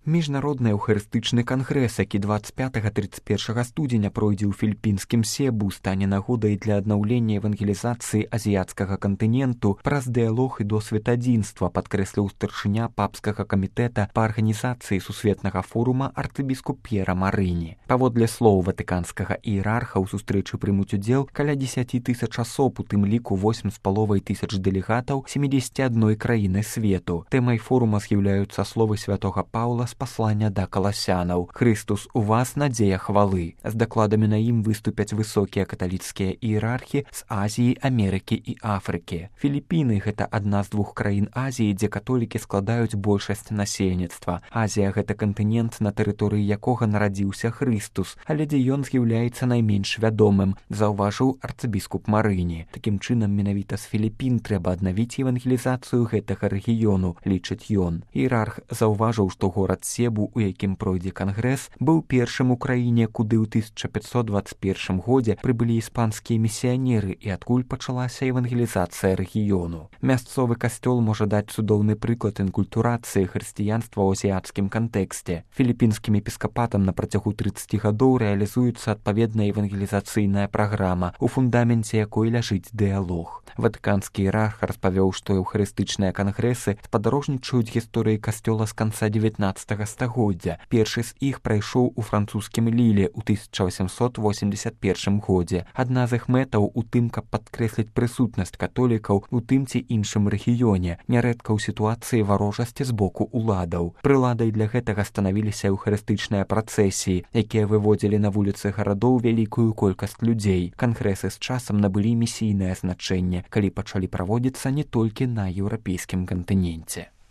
Міжнародны эўхарыстычны кангрэс, які 25-31 студзеня пройдзе ў філіппінскім Себу, стане нагодай для аднаўлення евангелізацыі азіяцкага кантыненту праз дыялог і досвед адзінства, падкрэсліў старшыня папскага камітэта па арганізацыі сусветнага форума арцыбіскуп П'ера Марыні. Паводле слоў ватыканскага іерарха ў сустрэчы прымуць удзел каля 10 тысяч асоб, у тым ліку 8,5 тысяч дэлегатаў 71 краіны свету. Тэмай форума з'яўляюцца словы святога Паўла з паслання да каласянаў. «Христус у вас, надзея хвалы». З дакладамі на ім выступяць высокія каталіцкія іерархі з Азіі, Амерыкі і Афрыкі. Філіппіны – гэта адна з двух краін Азіі, дзе католікі складаюць большасць насельніцтва. Азія – гэта кантынент, на тэрыторыі якога нарадзіўся Христус, але дзе ён з'яўляецца найменш вядомым, заўважыў арцыбіскуп Марыні. Такім чынам, менавіта з Філіппін трэба аднавіць евангелізацыю гэтага рэгіёну, лічыць ён. Іерарх заўважыў, што горад Себу, у якім пройдзе кангрэс, быў першым у краіне, куды ў 1521 годзе прыбылі іспанскія місіянеры і адкуль пачалася евангелізацыя рэгіёну. Мясцовы касцёл можа даць цудоўны прыклад інкультурацыі хрысціянства ў азіяцкім кантэксце. Філіппінскім епіскапатам на працягу 30 гадоў рэалізуецца адпаведная евангелізацыйная праграма, у фундаменце якой ляжыць дыялог. Ватыканскі іерарх распавёў, што эўхарыстычныя кангрэсы спадарожнічаюць гісторыі касцёла з канца 19 стагоддзя. Першы з іх прайшоў у французскім Ліле ў 1881 годзе. Адна з іх мэтаў у тым, каб падкрэсліць прысутнасць католікаў у тым ці іншым рэгіёне, нярэдка ў сітуацыі варожасці з боку ўладаў. Прыладай для гэтага станавіліся эўхарыстычныя працэсіі, якія выводзілі на вуліцы гарадоў вялікую колькасць людзей. Кангрэсы з часам набылі місійнае значэнне, калі пачалі праводзіцца не толькі на еўрапейскім кантыненце.